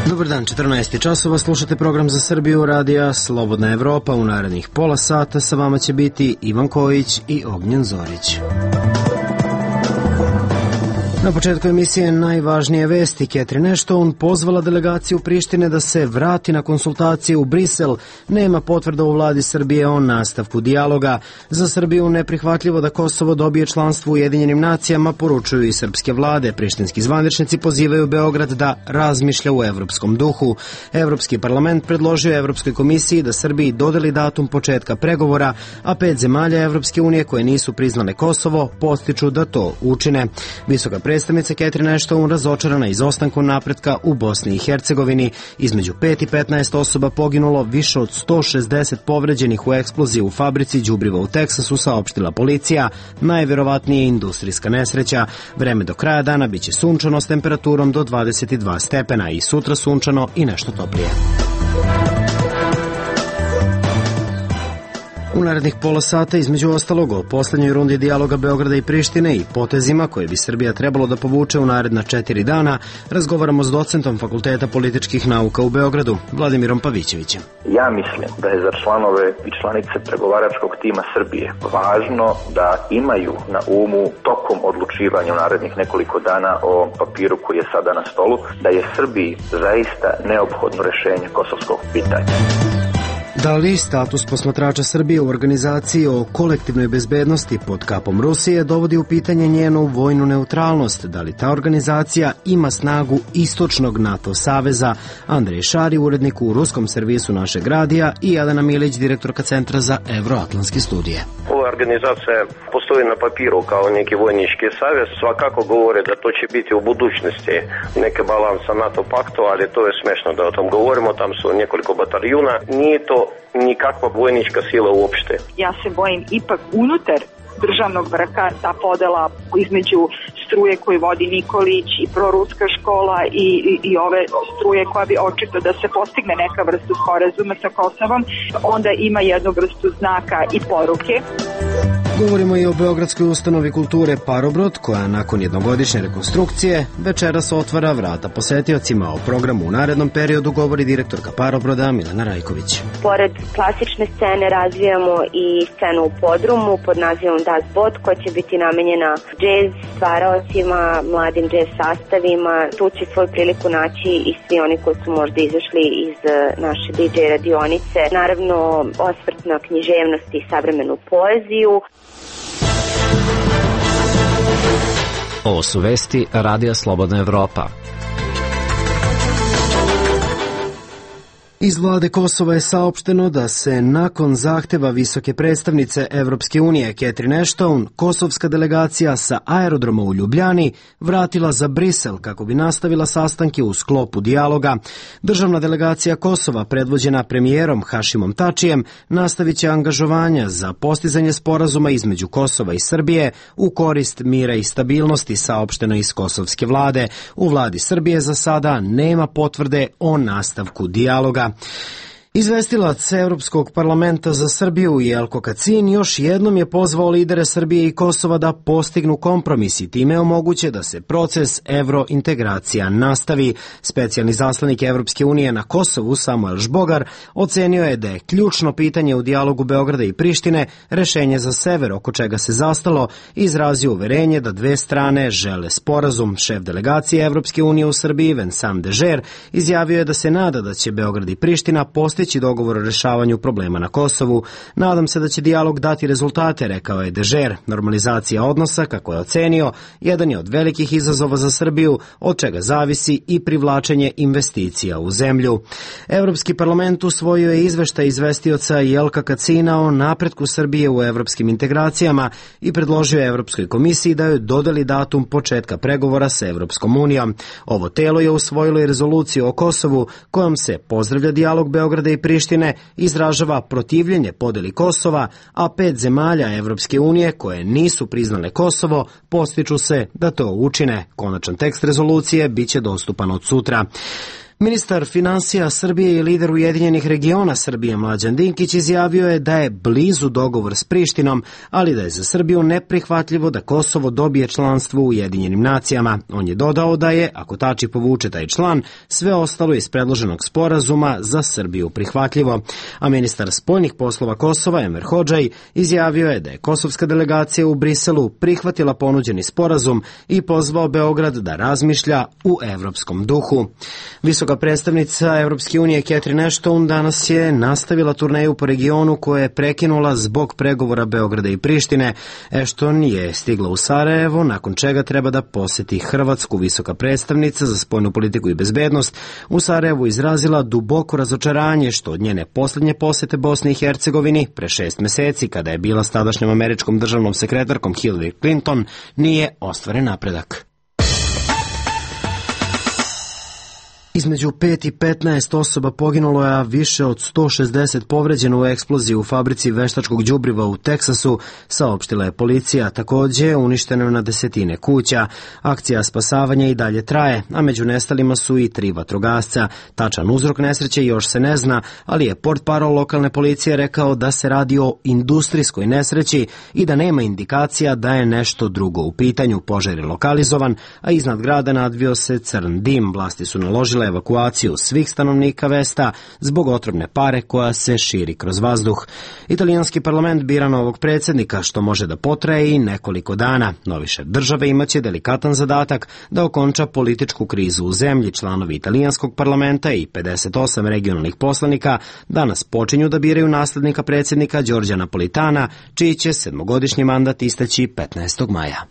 Dobar dan, 14 časova, slušate program za Srbiju radija Slobodna Evropa. U narednih pola sata sa vama će biti Ivan Kojić i Ognjen Zorić. Na početku emisije najvažnije vesti. Catherine Ashton pozvala delegaciju Prištine da se vrati na konsultacije u Brisel. Nema potvrda u vladi Srbije o nastavku dijaloga. Za Srbiju neprihvatljivo da Kosovo dobije članstvo u Ujedinjenim nacijama, poručuju i srpske vlade. Prištinski zvaničnici pozivaju Beograd da razmišlja u evropskom duhu. Evropski parlament predložio Evropskoj komisiji da Srbiji dodeli datum početka pregovora, a 5 zemalja Evropske unije koje nisu priznale Kosovo postiču da to učine. Visoka predstavnica Catherine Ashton razočarana izostankom napretka u Bosni i Hercegovini. Između 5 i 15 osoba poginulo, više od 160 povređenih u eksploziji u fabrici đubriva u Teksasu, saopštila policija. Najverovatnije industrijska nesreća. Vreme do kraja dana biće sunčano s temperaturom do 22 stepena i sutra sunčano i nešto toplije. U narednih pola sata, između ostalog, o posljednjoj rundi dijaloga Beograda i Prištine i potezima koje bi Srbija trebalo da povuče u naredna 4 dana, razgovaramo s docentom Fakulteta političkih nauka u Beogradu, Vladimirom Pavićevićem. Ja mislim da je za članove i članice pregovaračkog tima Srbije važno da imaju na umu tokom odlučivanja u narednih nekoliko dana o papiru koji je sada na stolu, da je Srbiji zaista neophodno rešenje kosovskog pitanja. Da li status posmatrača Srbije u organizaciji o kolektivnoj bezbednosti pod kapom Rusije dovodi u pitanje njenu vojnu neutralnost? Da li ta organizacija ima snagu istočnog NATO saveza? Andrej Šari, urednik u ruskom servisu našeg radija, i Jelena Milić, direktorka Centra za evroatlantske studije. Ova organizacija postoji na papiru kao neki vojnički savez. Svakako govore da to će biti u budućnosti neke balansa NATO paktu, ali to je smešno da o tom govorimo. Tam su nekoliko bataljuna. Nije to nikakva vojnička sila uopšte. Ja se bojim ipak unutar državnog vrha ta podela između struje koju vodi Nikolić i proruska škola i ove struje koja bi očito da se postigne neka vrstu sporazuma sa Kosovom, onda ima jednu vrstu znaka i poruke. Govorimo i o Beogradskoj ustanovi kulture Parobrod, koja nakon jednogodišnje rekonstrukcije večeras otvara vrata posetiocima. O programu u narednom periodu govori direktorka Parobroda Milena Rajković. Pored klasične scene razvijamo i scenu u podrumu pod nazivom Das Boot, koja će biti namenjena džez stvaraocima, mladim džez sastavima. Tu će svoju priliku naći i svi oni koji su možda izašli iz naše DJ radionice. Naravno, osvrt na književnost i savremenu poeziju. Ovo su vesti Radija Slobodna Evropa. Iz vlade Kosova je saopšteno da se nakon zahteva visoke predstavnice Evropske unije Catherine Ashton, kosovska delegacija sa aerodroma u Ljubljani vratila za Brisel kako bi nastavila sastanke u sklopu dijaloga. Državna delegacija Kosova, predvođena premijerom Hašimom Tačijem, nastavit će angažovanja za postizanje sporazuma između Kosova i Srbije u korist mira i stabilnosti, saopšteno iz kosovske vlade. U vladi Srbije za sada nema potvrde o nastavku dijaloga. Izvestilac Evropskog parlamenta za Srbiju Jelko Kacin još jednom je pozvao lidere Srbije i Kosova da postignu kompromis i time omoguće da se proces evrointegracija nastavi. Specijalni zaslanik Evropske unije na Kosovu Samuel Žbogar ocenio je da je ključno pitanje u dijalogu Beograda i Prištine rešenje za sever, oko čega se zastalo, i izrazio uverenje da dve strane žele sporazum. Šef delegacije Evropske unije u Srbiji Vincent Dežer izjavio je da se nada da će Beograd i Priština postići dogovor o rešavanju problema na Kosovu. Nadam se da će dijalog dati rezultate, rekao je Dežer. Normalizacija odnosa, kako je ocenio, jedan je od velikih izazova za Srbiju, od čega zavisi i privlačenje investicija u zemlju. Evropski parlament usvojio je izveštaj izvestioca Jelka Kacina o napretku Srbije u evropskim integracijama i predložio je Evropskoj komisiji da joj dodeli datum početka pregovora sa Evropskom unijom. Ovo telo je usvojilo i rezoluciju o Kosovu, kojom se pozdravlja dijalog Beograda i Prištine, izražava protivljenje podeli Kosova, a 5 zemalja Evropske unije koje nisu priznale Kosovo postiču se da to učine. Konačan tekst rezolucije biće dostupan od sutra. Ministar finansija Srbije i lider Ujedinjenih regiona Srbije Mlađan Dinkić izjavio je da je blizu dogovor s Prištinom, ali da je za Srbiju neprihvatljivo da Kosovo dobije članstvo u Ujedinjenim nacijama. On je dodao da je, ako Tači povuče taj član, sve ostalo iz predloženog sporazuma za Srbiju prihvatljivo. A ministar spoljnih poslova Kosova Enver Hodžaj izjavio je da je kosovska delegacija u Briselu prihvatila ponuđeni sporazum i pozvao Beograd da razmišlja u evropskom duhu. Visoka predstavnica Evropske unije Catherine Ashton danas je nastavila turneju po regionu koje je prekinula zbog pregovora Beograda i Prištine. Ashton je stigla u Sarajevo, nakon čega treba da poseti Hrvatsku. Visoka predstavnica za spoljnu politiku i bezbednost u Sarajevu izrazila duboko razočaranje što od njene posljednje posete Bosni i Hercegovini pre 6 meseci, kada je bila s tadašnjom američkom državnom sekretarkom Hillary Clinton, nije ostvaren napredak. Između 5 i 15 osoba poginulo je, a više od 160 povređeno u eksploziji u fabrici veštačkog đubriva u Teksasu, saopštila je policija. Takođe, uništeno je na desetine kuća. Akcija spasavanja i dalje traje, a među nestalima su i 3 vatrogasca. Tačan uzrok nesreće još se ne zna, ali je portparol lokalne policije rekao da se radi o industrijskoj nesreći i da nema indikacija da je nešto drugo u pitanju. Požar je lokalizovan, a iznad grada nadvio se crn dim. Vlasti su naložile evakuaciju svih stanovnika Vesta zbog otrovne pare koja se širi kroz vazduh. Italijanski parlament bira novog predsjednika, što može da potraje i nekoliko dana. Novi šef države imaće delikatan zadatak da okonča političku krizu u zemlji. Članovi italijanskog parlamenta i 58 regionalnih poslanika danas počinju da biraju naslednika predsjednika Đorđa Napolitana, čiji će 7-godišnji mandat isteći 15. maja.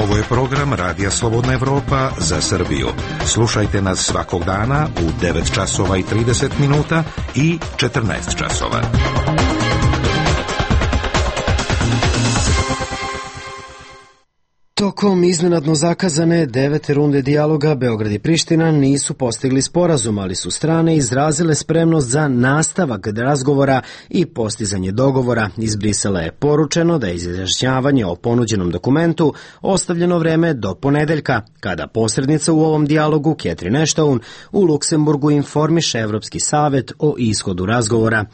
Ovo je program Radija Slobodna Evropa za Srbiju. Slušajte nas svakog dana u 9 časova i 30 minuta i 14 časova. Tokom iznenadno zakazane 9. runde dijaloga Beograd i Priština nisu postigli sporazum, ali su strane izrazile spremnost za nastavak razgovora i postizanje dogovora. Iz Brisela je poručeno da je izjašnjavanje o ponuđenom dokumentu ostavljeno vreme do ponedeljka, kada posrednica u ovom dijalogu Catherine Ashton u Luksemburgu informiše Evropski savet o ishodu razgovora.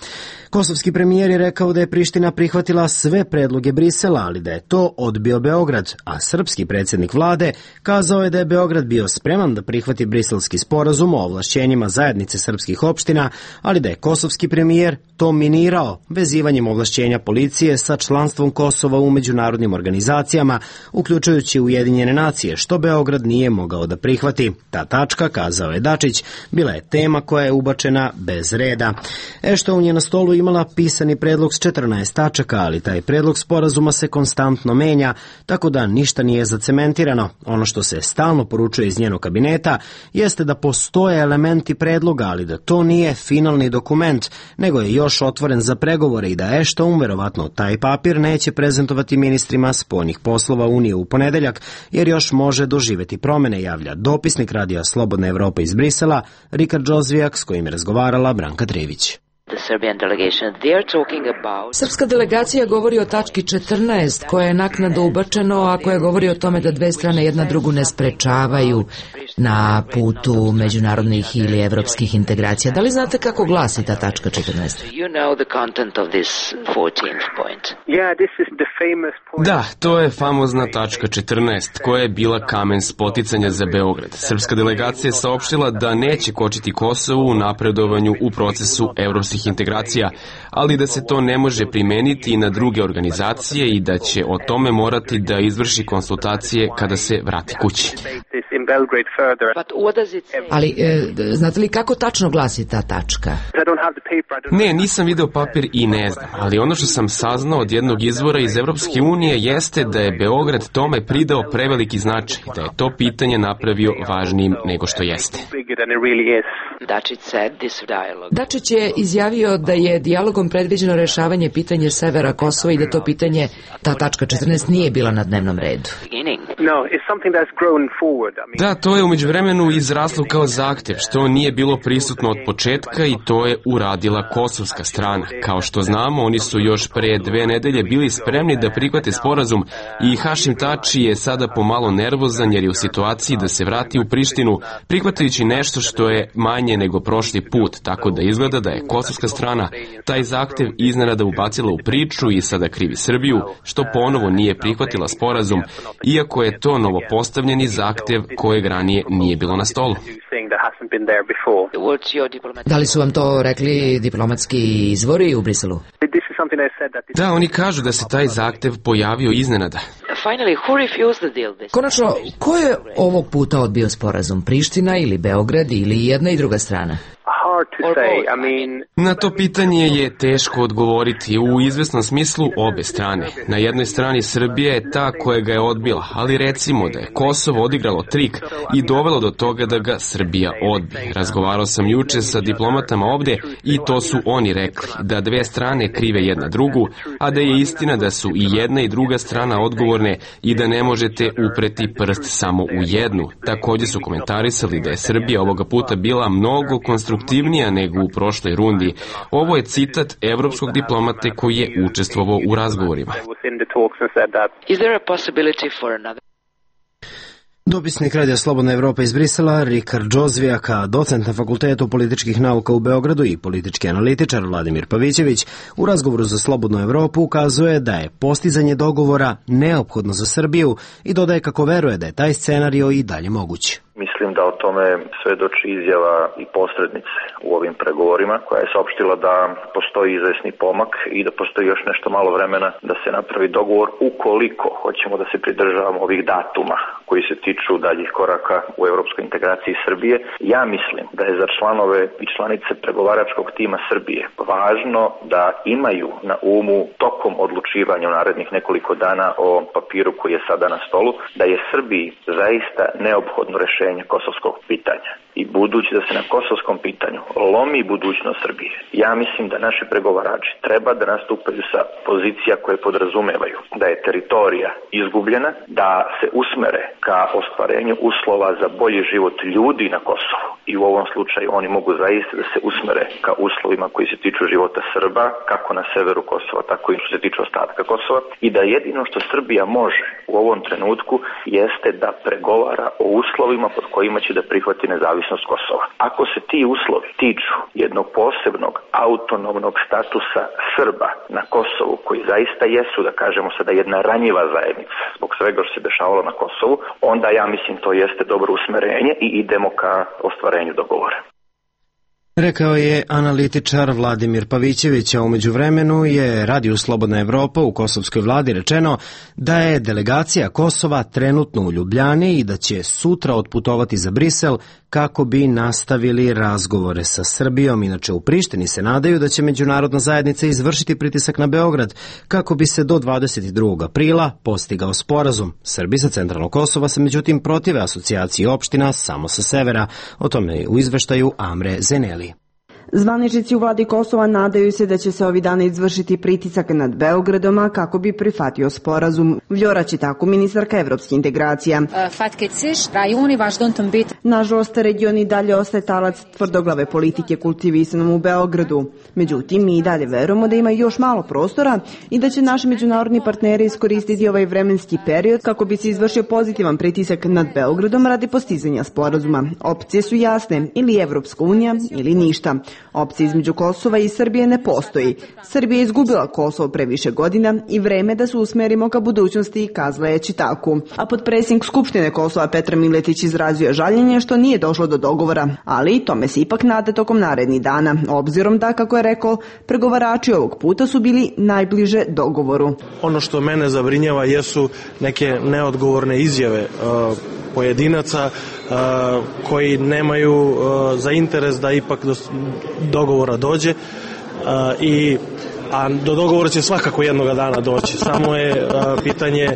Kosovski premijer je rekao da je Priština prihvatila sve predloge Brisela, ali da je to odbio Beograd, a srpski predsjednik vlade kazao je da je Beograd bio spreman da prihvati briselski sporazum o ovlašćenjima zajednice srpskih opština, ali da je kosovski premijer to minirao vezivanjem ovlašćenja policije sa članstvom Kosova u međunarodnim organizacijama, uključujući Ujedinjene nacije, što Beograd nije mogao da prihvati. Ta tačka, kazao je Dačić, bila je tema koja je ubačena bez reda. Ashton je na stolu imala pisani predlog s 14 tačaka, ali taj predlog sporazuma se konstantno menja, tako da ništa nije zacementirano. Ono što se stalno poručuje iz njenog kabineta jeste da postoje elementi predloga, ali da to nije finalni dokument, nego je još otvoren za pregovore i da Ashton verovatno taj papir neće prezentovati ministrima spoljnih poslova Unije u ponedeljak, jer još može doživeti promene, javlja dopisnik Radija Slobodna Evropa iz Brisela, Rikard Džozvijak, s kojim je razgovarala Branka Trević. Srpska delegacija govori o tački 14 koja je naknadno ubačeno, a koja govori o tome da dve strane jedna drugu ne sprečavaju na putu međunarodnih ili evropskih integracija. Da li znate kako glasi ta tačka 14? Da, to je famozna tačka 14 koja je bila kamen spoticanja za Beograd. Srpska delegacija je saopštila da neće kočiti Kosovu u napredovanju u procesu evropskih integracija, ali da se to ne može primeniti i na druge organizacije i da će o tome morati da izvrši konsultacije kada se vrati kući. Ali, znate li kako tačno glasi ta tačka? Ne, nisam video papir i ne znam, ali ono što sam saznao od jednog izvora iz Evropske unije jeste da je Beograd tome pridao preveliki značaj, da je to pitanje napravio važnijim nego što jeste. Dačić je izjavio da je dijalogom predviđeno rešavanje pitanja severa Kosova i da to pitanje, ta tačka 14, nije bila na dnevnom redu. Da, to je u umeđuvremenu izraslo kao zahtev, što nije bilo prisutno od početka i to je uradila kosovska strana. Kao što znamo, oni su još pre 2 nedelje bili spremni da prihvate sporazum i Hašim Tači je sada pomalo nervozan jer je u situaciji da se vrati u Prištinu, prihvatajući nešto što je manje nego prošli put, tako da izgleda da je kosovska strana taj zahtev iznenada ubacila u priču i sada krivi Srbiju, što ponovo nije prihvatila sporazum, iako je to novopostavljeni zahtev kojeg ranije nije bilo na stolu. Da li su vam to rekli diplomatski izvori u Briselu? Da, oni kažu da se taj zahtev pojavio iznenada. Konačno, ko je ovog puta odbio sporazum? Priština ili Beograd ili jedna i druga strana? Na to pitanje je teško odgovoriti. U izvesnom smislu obe strane. Na jednoj strani Srbija je ta koja ga je odbila, ali recimo da je Kosovo odigralo trik i dovelo do toga da ga Srbija odbi. Razgovarao sam juče sa diplomatama ovde i to su oni rekli, da 2 strane krive jedna drugu, a da je istina da su i jedna i druga strana odgovorne i da ne možete upreti prst samo u jednu. Također su komentarisali da je Srbija ovoga puta bila mnogo konstruktivnija nego u prošloj rundi. Ovo je citat evropskog diplomate koji je učestvovao u razgovorima. Dopisnik Radija Slobodna Evropa iz Brisela, Rikard Džozvijaka, docent na Fakultetu političkih nauka u Beogradu i politički analitičar Vladimir Pavićević, u razgovoru za Slobodnu Evropu ukazuje da je postizanje dogovora neophodno za Srbiju i dodaje kako veruje da je taj scenario i dalje moguć. Mislim da o tome svedoči izjava i posrednice u ovim pregovorima, koja je saopštila da postoji izvesni pomak i da postoji još nešto malo vremena da se napravi dogovor ukoliko hoćemo da se pridržavamo ovih datuma koji se tiču daljih koraka u evropskoj integraciji Srbije. Ja mislim da je za članove i članice pregovaračkog tima Srbije važno da imaju na umu tokom odlučivanja u narednih nekoliko dana o papiru koji je sada na stolu, da je Srbiji zaista neophodno rešenje kosovskog pitanja. I budući da se na kosovskom pitanju lomi budućnost Srbije, ja mislim da naši pregovarači treba da nastupaju sa pozicija koje podrazumevaju da je teritorija izgubljena, da se usmere ka ostvarenju uslova za bolji život ljudi na Kosovu. I u ovom slučaju oni mogu zaista da se usmere ka uslovima koji se tiču života Srba, kako na severu Kosova, tako i što se tiče ostatka Kosova. I da jedino što Srbija može u ovom trenutku jeste da pregovara o uslovima pod kojima će da prihvati nezavisnost Kosova. Ako se ti uslovi tiču jednog posebnog autonomnog statusa Srba na Kosovu, koji zaista jesu, da kažemo sada, jedna ranjiva zajednica zbog svega što se dešavalo na Kosovu, onda ja mislim to jeste dobro usmerenje i idemo ka ostvarenju dogovora. Rekao je analitičar Vladimir Pavićević, a umeđu vremenu je Radiju Slobodna Evropa u kosovskoj vladi rečeno da je delegacija Kosova trenutno u Ljubljani i da će sutra otputovati za Brisel kako bi nastavili razgovore sa Srbijom. Inače, u Prištini se nadaju da će međunarodna zajednica izvršiti pritisak na Beograd kako bi se do 22. aprila postigao sporazum. Srbi sa centralnog Kosova se međutim protive asocijaciji opština samo sa severa. O tome u izveštaju Amre Zeneli. Zvaničnici u vladi Kosova nadaju se da će se ovih dana izvršiti pritisak nad Beogradom kako bi prihvatio sporazum. Vljora Čitaku, ministarka evropskih integracija. Nažalost, region i dalje ostaje talac tvrdoglave politike kultivisanom u Beogradu. Međutim, mi i dalje verujemo da ima još malo prostora i da će naši međunarodni partneri iskoristiti ovaj vremenski period kako bi se izvršio pozitivan pritisak nad Beogradom radi postizanja sporazuma. Opcije su jasne, ili Evropska unija ili ništa. Opcija između Kosova i Srbije ne postoji. Srbija je izgubila Kosovo pre više godina i vreme da se usmerimo ka budućnosti, kazala je Čitaku. A potpredsjednik Skupštine Kosova Petar Miletić izrazio žaljenje što nije došlo do dogovora, ali tome se ipak nade tokom narednih dana, obzirom da, kako je rekao, pregovarači ovog puta su bili najbliže dogovoru. Ono što mene zabrinjava jesu neke neodgovorne izjave pojedinaca koji nemaju za interes da ipak do dogovora dođe i a do dogovora će svakako jednoga dana doći. Samo je pitanje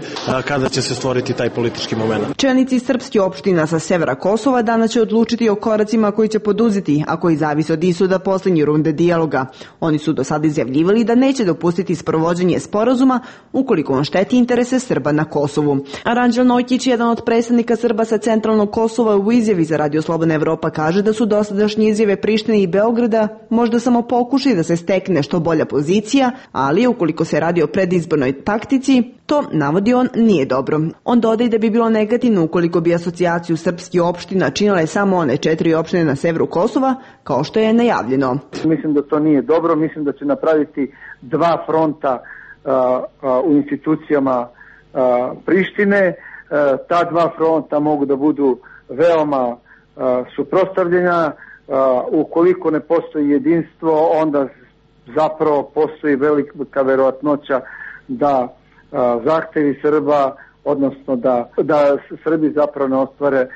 kada će se stvoriti taj politički moment. Čelnici srpskih opština sa severa Kosova danas će odlučiti o koracima koji će poduzeti, a koji zavise od ishoda poslednje runde dijaloga. Oni su do sada izjavljivali da neće dopustiti sprovođenje sporazuma ukoliko on šteti interese Srba na Kosovu. Aranđel Nojkić, jedan od predstavnika Srba sa centralnog Kosova, u izjavi za Radio Slobodna Evropa kaže da su dosadašnje izjave Prištine i Beograda možda samo pokušaj da se stekne što bolja pozicija, ali ukoliko se radi o predizbornoj taktici, to, navodi on, nije dobro. On dodaje da bi bilo negativno ukoliko bi asocijaciju srpskih opština činile samo one 4 opštine na severu Kosova, kao što je najavljeno. Mislim da to nije dobro, mislim da će napraviti dva fronta u institucijama Prištine. Ta dva fronta mogu da budu veoma suprotstavljena. Ukoliko ne postoji jedinstvo, onda zapravo postoji velika verovatnoća da zahtevi Srba, odnosno da Srbi zapravo ne ostvare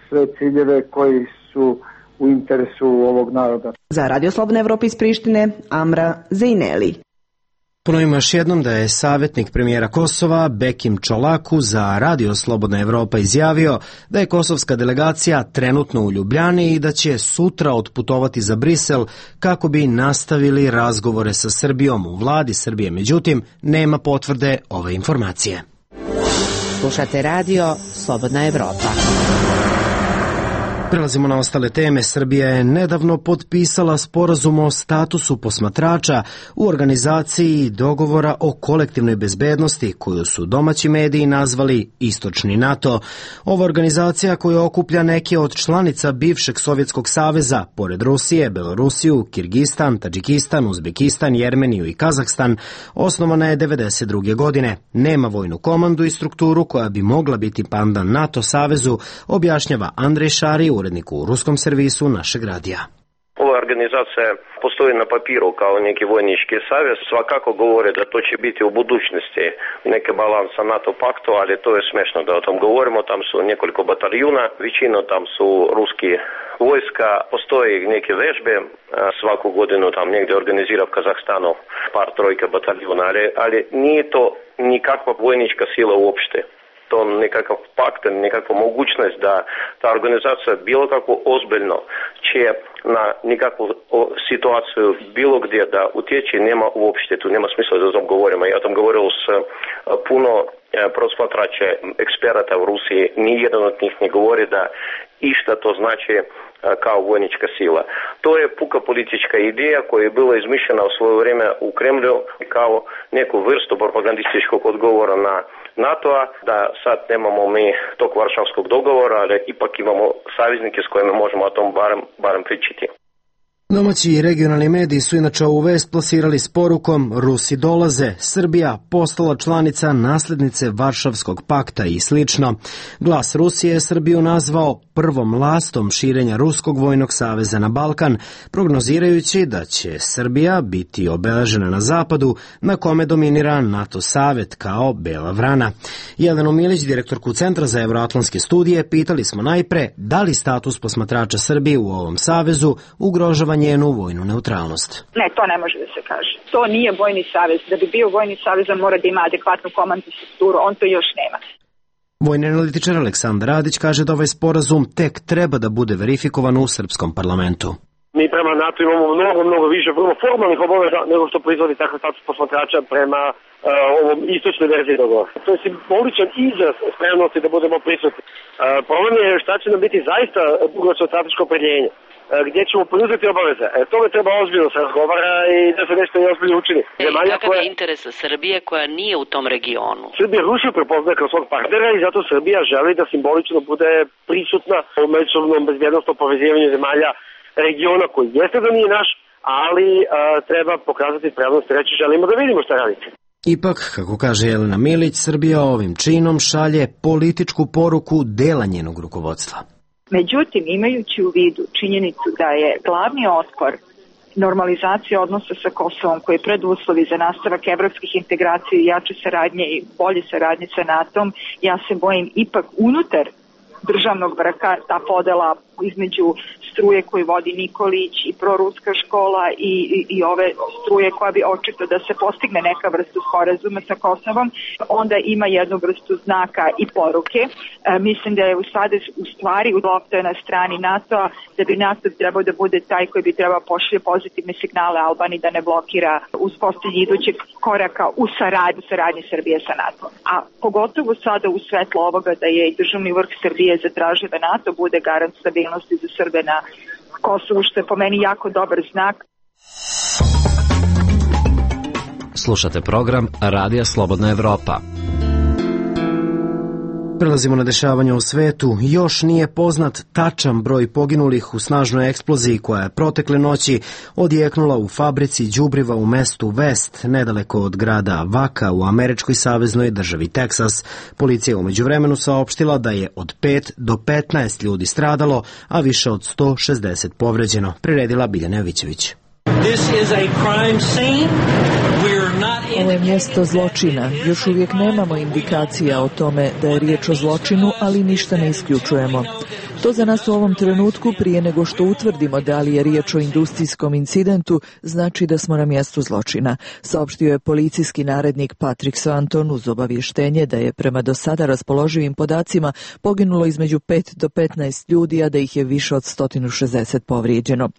sve ciljeve koji su u interesu ovog naroda. Za Radio Slobodna Evropa iz Prištine, Amra Zejneli. Ponovimo još jednom da je savjetnik premijera Kosova Bekim Čolaku za Radio Slobodna Evropa izjavio da je kosovska delegacija trenutno u Ljubljani i da će sutra otputovati za Brisel kako bi nastavili razgovore sa Srbijom u vladi Srbije. Međutim, nema potvrde ove informacije. Slušate Radio Slobodna Evropa. Prelazimo na ostale teme. Srbija je nedavno potpisala sporazum o statusu posmatrača u organizaciji dogovora o kolektivnoj bezbednosti, koju su domaći mediji nazvali Istočni NATO. Ova organizacija koja okuplja neke od članica bivšeg Sovjetskog saveza, pored Rusije, Belorusiju, Kirgistan, Tadžikistan, Uzbekistan, Jermeniju i Kazahstan, osnovana je 1992. godine. Nema vojnu komandu i strukturu koja bi mogla biti pandan NATO savezu, objašnjava Andrej Šari, urednik u ruskom servisu našeg radija. Ova organizacija postoji na papiru kao neki vojnički savez, svakako govore da to će biti u budućnosti neke balansa NATO paktu, ali to je smešno da o tom govorimo. Tam su nekoliko bataljuna, većina tam su ruski vojska, postoji neke vežbe, svaku godinu tam negdje organizira u Kazahstanu par trojka bataljuna, ali nije to nikakva vojnička sila uopšte. To nekakav pakt, nekakva mogućnost da ta organizacija bilo kako ozbiljno će na nekakvu situaciju bilo gdje da utječe, nema uopšte, tu nema smisla da o tom govorimo. Ja tom govorio s puno prosmatrača, eksperata u Rusiji, nijedan od njih ne govori da išta to znači kao vojnička sila. To je puka politička ideja koja je bila izmišljena u svoje vrijeme u Kremlju kao neku vrstu propagandističkog odgovora na NATO-a, da sad nemamo mi tog Varšavskog dogovora, ali ipak imamo saveznike s kojima možemo o tom barem pričati. Domaći i regionalni mediji su inače ovu vest plasirali s porukom Rusi dolaze, Srbija postala članica naslednice Varšavskog pakta i slično. Glas Rusije je Srbiju nazvao prvom lastom širenja Ruskog vojnog saveza na Balkan, prognozirajući da će Srbija biti obeležena na zapadu, na kome dominira NATO savet kao bela vrana. Jelenu Milić, direktorku Centra za evroatlantske studije, pitali smo najpre da li status posmatrača Srbije u ovom savezu ugrožava njenu vojnu neutralnost. Ne, to ne može da se kaže. To nije vojni savez. Da bi bio vojni savez, on mora da ima adekvatnu komandnu strukturu. On to još nema. Vojni analitičar Aleksandar Radić kaže da ovaj sporazum tek treba da bude verifikovan u srpskom parlamentu. Mi prema NATO imamo mnogo više vrlo formalnih obaveza nego što proizvodi takav status posmatrača prema ovom istočnoj verziji dogovora. To je simboličan izraz spremnosti da budemo prisutni. Problem je šta će nam biti zaista dugoročno strateško opredjeljenje, gdje ćemo preuzeti obaveze. Tome treba ozbiljno se razgovara i da se nešto ozbiljno učini. Kakav je interes Srbije koja nije u tom regionu? Srbija Rusiju prepoznaje kao svog partnera i zato Srbija želi da simbolično bude prisutna u međusobnom bezbjednostnom povezivanju zemalja regiona koji jeste da nije naš, ali treba pokazati spremnost i reći želimo da vidimo šta radite. Ipak, kako kaže Jelena Milić, Srbija ovim činom šalje političku poruku dela njenog rukovodstva. Međutim, imajući u vidu činjenicu da je glavni otpor normalizacija odnosa sa Kosovom, koji je preduslovi za nastavak evropskih integracija i jače saradnje i bolje saradnje sa NATO-om, ja se bojim ipak unutar državnog vrha ta podela između struje koju vodi Nikolić i proruska škola i ove struje koja bi očito da se postigne neka vrsta sporazuma sa Kosovom, onda ima jednu vrstu znaka i poruke. Mislim da je sada u stvari lopta na strani NATO-a, da bi NATO trebao da bude taj koji bi trebao pošalje pozitivne signale Albaniji da ne blokira uspostavljanje idućeg koraka u saradnji Srbije sa NATO. A pogotovo sada u svetlu ovoga da je i državni vrh Srbije zatražio da NATO bude garant stabilnosti za Srbe na Kosovu, što je po meni jako dobar znak. Slušate program Radija Slobodna Evropa. Prelazimo na dešavanje u svetu. Još nije poznat tačan broj poginulih u snažnoj eksploziji koja je protekle noći odjeknula u fabrici đubriva u mestu West, nedaleko od grada Vaka u američkoj saveznoj državi Teksas. Policija je u međuvremenu saopštila da je od 5 do 15 ljudi stradalo, a više od 160 povređeno. Priredila Biljana Jovićević. Ovo je mjesto zločina. Još uvijek nemamo indikacija o tome da je riječ o zločinu, ali ništa ne isključujemo. To za nas u ovom trenutku, prije nego što utvrdimo da li je riječ o industrijskom incidentu, znači da smo na mjestu zločina, saopštio je policijski narednik Patrick Swanton uz obavještenje da je prema do sada raspoloživim podacima poginulo između 5 do 15 ljudi, a da ih je više od 160 povrijeđeno.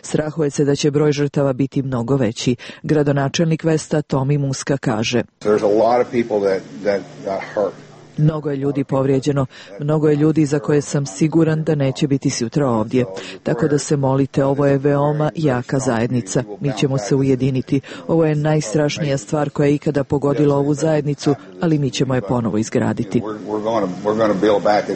Strahuje se da će broj žrtava biti mnogo veći. Gradonačelnik Vesta Tommy Muska kaže: Mnogo je ljudi povrijeđeno, mnogo je ljudi za koje sam siguran da neće biti sutra ovdje. Tako da se molite, ovo je veoma jaka zajednica. Mi ćemo se ujediniti. Ovo je najstrašnija stvar koja je ikada pogodila ovu zajednicu, ali mi ćemo je ponovo izgraditi.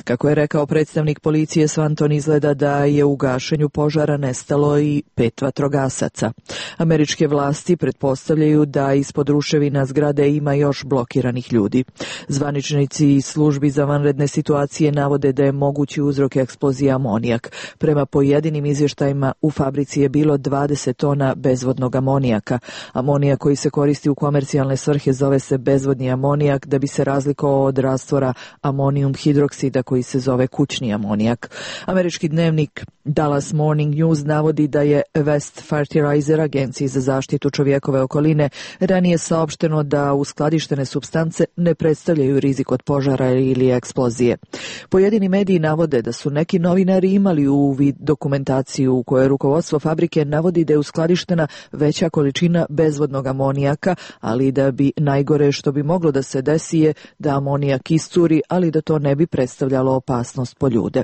Kako je rekao predstavnik policije, Swanton izgleda da je u gašenju požara nestalo i 5 vatrogasaca. Američke vlasti pretpostavljaju da ispod ruševina zgrade ima još blokiranih ljudi. Zvaničnici i službi za vanredne situacije navode da je mogući uzrok eksplozije amonijak. Prema pojedinim izvještajima u fabrici je bilo 20 tona bezvodnog amonijaka. Amonijak koji se koristi u komercijalne svrhe zove se bezvodni amonijak da bi se razlikovao od rastvora amonijum hidroksida koji se zove kućni amonijak. Američki dnevnik Dallas Morning News navodi da je West Fertilizer, agenciji za zaštitu čovjekove okoline, ranije saopšteno da uskladištene supstance ne predstavljaju rizik od požara ili eksplozije. Pojedini mediji navode da su neki novinari imali uvid dokumentaciju u kojoj rukovodstvo fabrike navodi da je uskladištena veća količina bezvodnog amonijaka, ali da bi najgore što bi moglo da se desi je da amonijak iscuri, ali da to ne bi predstavljalo opasnost po ljude.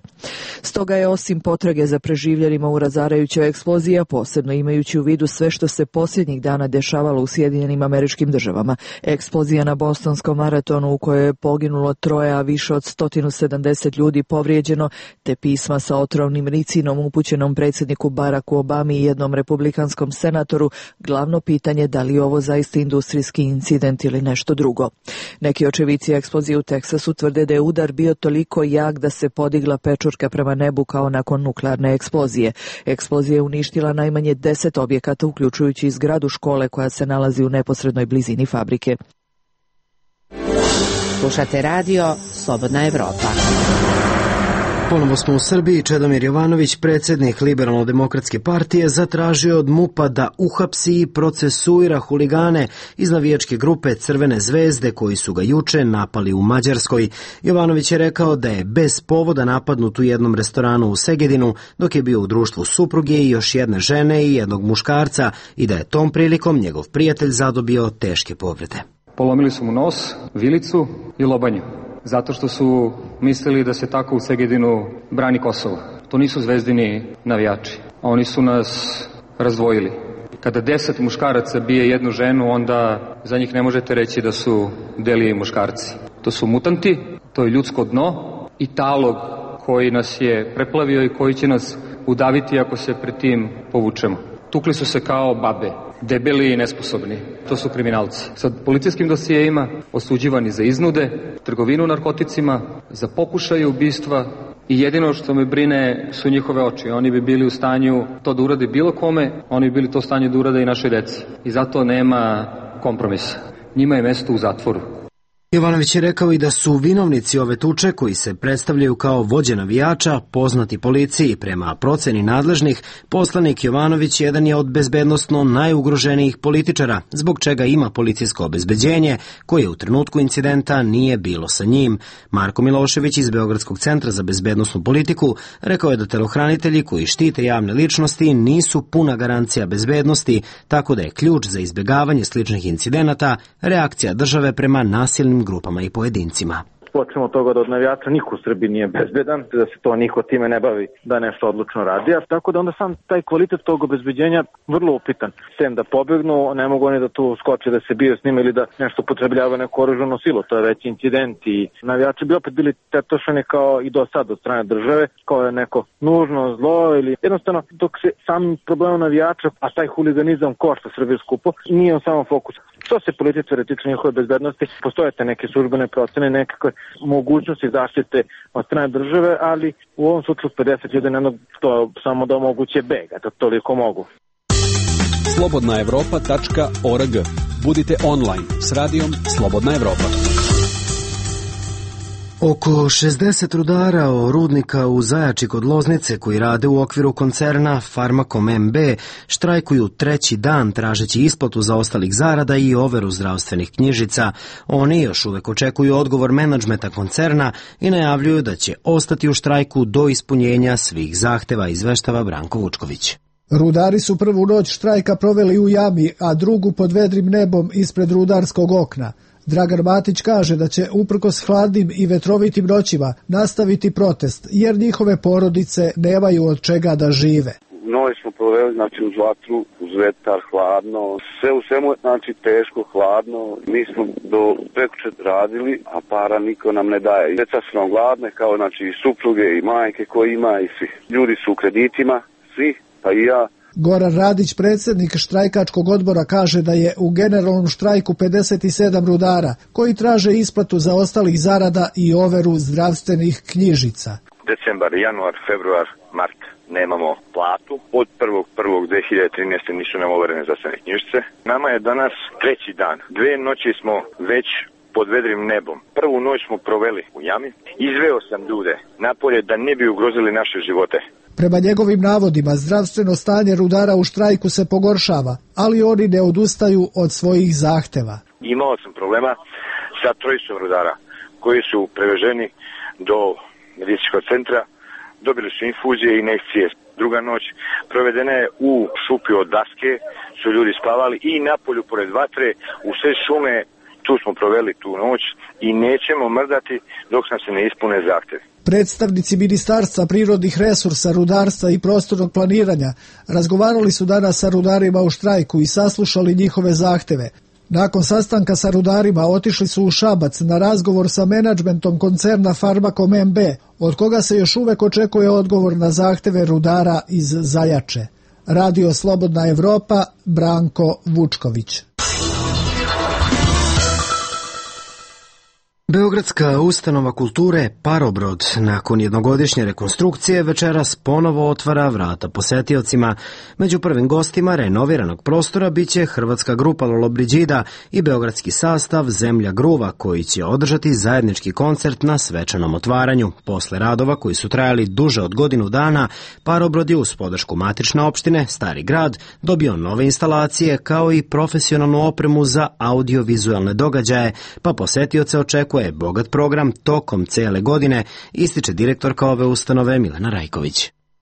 Stoga je osim potrage za preživljenima u razarajućoj eksploziji, posebno imajući u vidu sve što se posljednjih dana dešavalo u Sjedinjenim Američkim Državama, eksplozija na Bostonskom maratonu u kojoj je poginulo 3, a više od 170 ljudi povrijeđeno, te pisma sa otrovnim ricinom upućenom predsjedniku Baracku Obami i jednom republikanskom senatoru, glavno pitanje da li je ovo zaista industrijski incident ili nešto drugo. Neki očevici eksplozije u Teksasu tvrde da je udar bio toliko jak da se podigla pečurka prema nebu kao nakon nuklearne eksplozije. Eksplozija je uništila najmanje 10 objekata, uključujući i zgradu škole koja se nalazi u neposrednoj blizini fabrike. Slušate radio Slobodna Evropa. Ponovo smo u Srbiji. Čedomir Jovanović, predsjednik Liberalno-demokratske partije, zatražio od MUP-a da uhapsi i procesuira huligane iz navijačke grupe Crvene zvezde koji su ga juče napali u Mađarskoj. Jovanović je rekao da je bez povoda napadnut u jednom restoranu u Segedinu dok je bio u društvu supruge i još jedne žene i jednog muškarca i da je tom prilikom njegov prijatelj zadobio teške povrede. Polomili su mu nos, vilicu i lobanju, zato što su mislili da se tako u Segedinu brani Kosovo. To nisu zvezdini navijači, a oni su nas razdvojili. Kada 10 muškaraca bije jednu ženu, onda za njih ne možete reći da su deli muškarci. To su mutanti, to je ljudsko dno i talog koji nas je preplavio i koji će nas udaviti ako se pred tim povučemo. Tukli su se kao babe, debeli i nesposobni. To su kriminalci. Sa policijskim dosijeima osuđivani za iznude, trgovinu narkoticima, za pokušaje ubistva i jedino što me brine su njihove oči. Oni bi bili u stanju to da urade bilo kome, oni bi bili to u stanju da urade i našoj deci. I zato nema kompromisa. Njima je mesto u zatvoru. Jovanović je rekao i da su vinovnici ove tuče, koji se predstavljaju kao vođe navijača, poznati policiji. Prema proceni nadležnih, poslanik Jovanović jedan je od bezbednosno najugroženijih političara, zbog čega ima policijsko obezbeđenje, koje u trenutku incidenta nije bilo sa njim. Marko Milošević iz Beogradskog centra za bezbednosnu politiku rekao je da telohranitelji koji štite javne ličnosti nisu puna garancija bezbednosti, tako da je ključ za izbjegavanje sličnih incidenata reakcija države prema nasilnim grupama i pojedincima. Počnemo od toga da od navijača niko u Srbiji nije bezbedan, da se to niko time ne bavi, da nešto odlučno radi, a tako da onda sam taj kvalitet tog obezbeđenja vrlo upitan. Sem da pobegnu, ne mogu oni da tu skoče, da se biju s njima ili da nešto potrebljava neku oružanu silu, to je već incident i navijači bi opet bili tetošani kao i do sad od strane države, kao je neko nužno zlo ili jednostavno dok se sam problem navijača, a taj huliganizam košta Srbiju skupo, nije on samo fokus. Što se političare tiče njihove bezbednosti, postoje te neke službene procene, nekakve mogućnosti zaštite od strane države, ali u ovom slučaju 50 ljudi to samo da omoguće beg, da toliko mogu. Slobodnaevropa.org. Budite online s radijom Slobodna Evropa. Oko 60 rudara rudnika u Zajači kod Loznice koji rade u okviru koncerna Farmakom MB štrajkuju treći dan tražeći isplatu zaostalih zarada i overu zdravstvenih knjižica. Oni još uvek očekuju odgovor menadžmenta koncerna i najavljuju da će ostati u štrajku do ispunjenja svih zahteva, izveštava Branko Vučković. Rudari su prvu noć štrajka proveli u jami, a drugu pod vedrim nebom ispred rudarskog okna. Dragan Matić kaže da će uprkos hladnim i vetrovitim noćima nastaviti protest, jer njihove porodice nemaju od čega da žive. Noć smo proveli uz vatru, uz vetar, hladno, sve u svemu teško, hladno. Mi smo do prekuče radili, a para niko nam ne daje. Djeca su nam gladne, kao i supruge i majke koje ima i svi. Ljudi su u kreditima, svi, pa i ja. Goran Radić, predsjednik štrajkačkog odbora, kaže da je u generalnom štrajku 57 rudara koji traže isplatu zaostalih zarada i overu zdravstvenih knjižica. Decembar, januar, februar, mart nemamo platu. Od 1.1.2013. nisu nam overene zdravstvene knjižice. Nama je danas treći dan. 2 noći smo već pod vedrim nebom. Prvu noć smo proveli u jami. Izveo sam ljude napolje da ne bi ugrozili naše živote. Prema njegovim navodima, zdravstveno stanje rudara u štrajku se pogoršava, ali oni ne odustaju od svojih zahteva. Imao sam problema sa 3 rudara koji su preveženi do medicinskog centra, dobili su infuzije i injekcije. Druga noć provedena je u šupi od daske, su ljudi spavali i napolju pored vatre, u sve šume, tu smo proveli tu noć i nećemo mrdati dok nam se ne ispune zahtjevi. Predstavnici Ministarstva prirodnih resursa, rudarstva i prostornog planiranja razgovarali su danas sa rudarima u štrajku i saslušali njihove zahteve. Nakon sastanka sa rudarima otišli su u Šabac na razgovor sa menadžmentom koncerna Farmakom MB, od koga se još uvek očekuje odgovor na zahteve rudara iz Zajače. Radio Slobodna Evropa, Branko Vučković. Beogradska ustanova kulture Parobrod nakon jednogodišnje rekonstrukcije večeras ponovo otvara vrata posetiocima. Među prvim gostima renoviranog prostora biće hrvatska grupa Lollobrigida i beogradski sastav Zemlja gruva koji će održati zajednički koncert na svečanom otvaranju. Posle radova koji su trajali duže od godinu dana, Parobrod je uz podršku matične opštine Stari grad dobio nove instalacije kao i profesionalnu opremu za audiovizualne događaje, pa posetioce očekuje bogat program tokom cele godine, ističe direktorka ove ustanove Milena Rajković.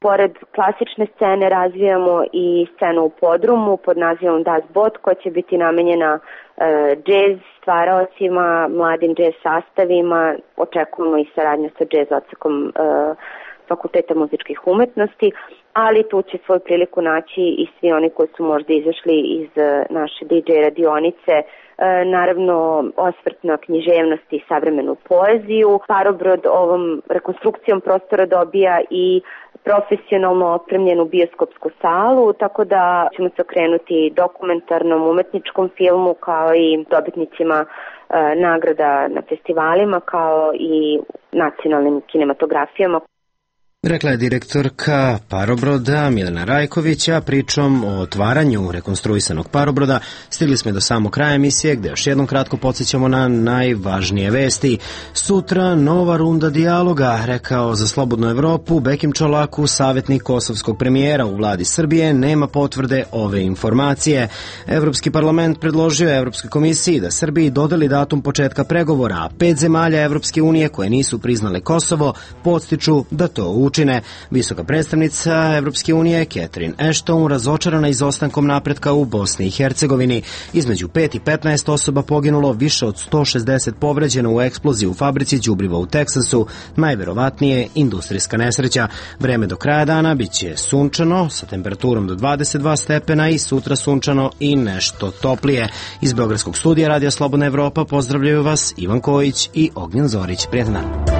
Pored klasične scene razvijamo i scenu u podrumu pod nazivom Das Boot koja će biti namenjena džez stvaraocima, mladim džez sastavima. Očekujemo i saradnju sa džez odsekom Fakulteta muzičkih umetnosti, ali tu će svoju priliku naći i svi oni koji su možda izašli iz naše DJ radionice, naravno osvrt na književnost i savremenu poeziju. Parobrod ovom rekonstrukcijom prostora dobija i profesionalno opremljenu bioskopsku salu, tako da ćemo se okrenuti dokumentarnom umetničkom filmu kao i dobitnicima nagrada na festivalima kao i nacionalnim kinematografijama. Rekla je direktorka parobroda Milena Rajkovića. Pričom o otvaranju rekonstruisanog parobroda stigli smo do samog kraja emisije, gde još jednom kratko podsjećamo na najvažnije vesti. Sutra nova runda dijaloga, rekao za Slobodnu Evropu Bekim Čolaku, savjetnik kosovskog premijera u vladi Srbije, nema potvrde ove informacije. Evropski parlament predložio je Evropskoj komisiji da Srbiji dodeli datum početka pregovora, a 5 zemalja Evropske unije koje nisu priznale Kosovo podstiču da to učine. Visoka predstavnica Evropske unije Catherine Ashton razočarana izostankom napretka u Bosni i Hercegovini. Između 5 i 15 osoba poginulo, više od 160 povređeno u eksploziji u fabrici đubriva u Teksasu, najverovatnije industrijska nesreća. Vreme do kraja dana biće sunčano sa temperaturom do 22 stepena i sutra sunčano i nešto toplije. Iz Beogradskog studija Radija Slobodna Evropa pozdravljaju vas Ivan Kojić i Ognjen Zorić. Prijetan dan.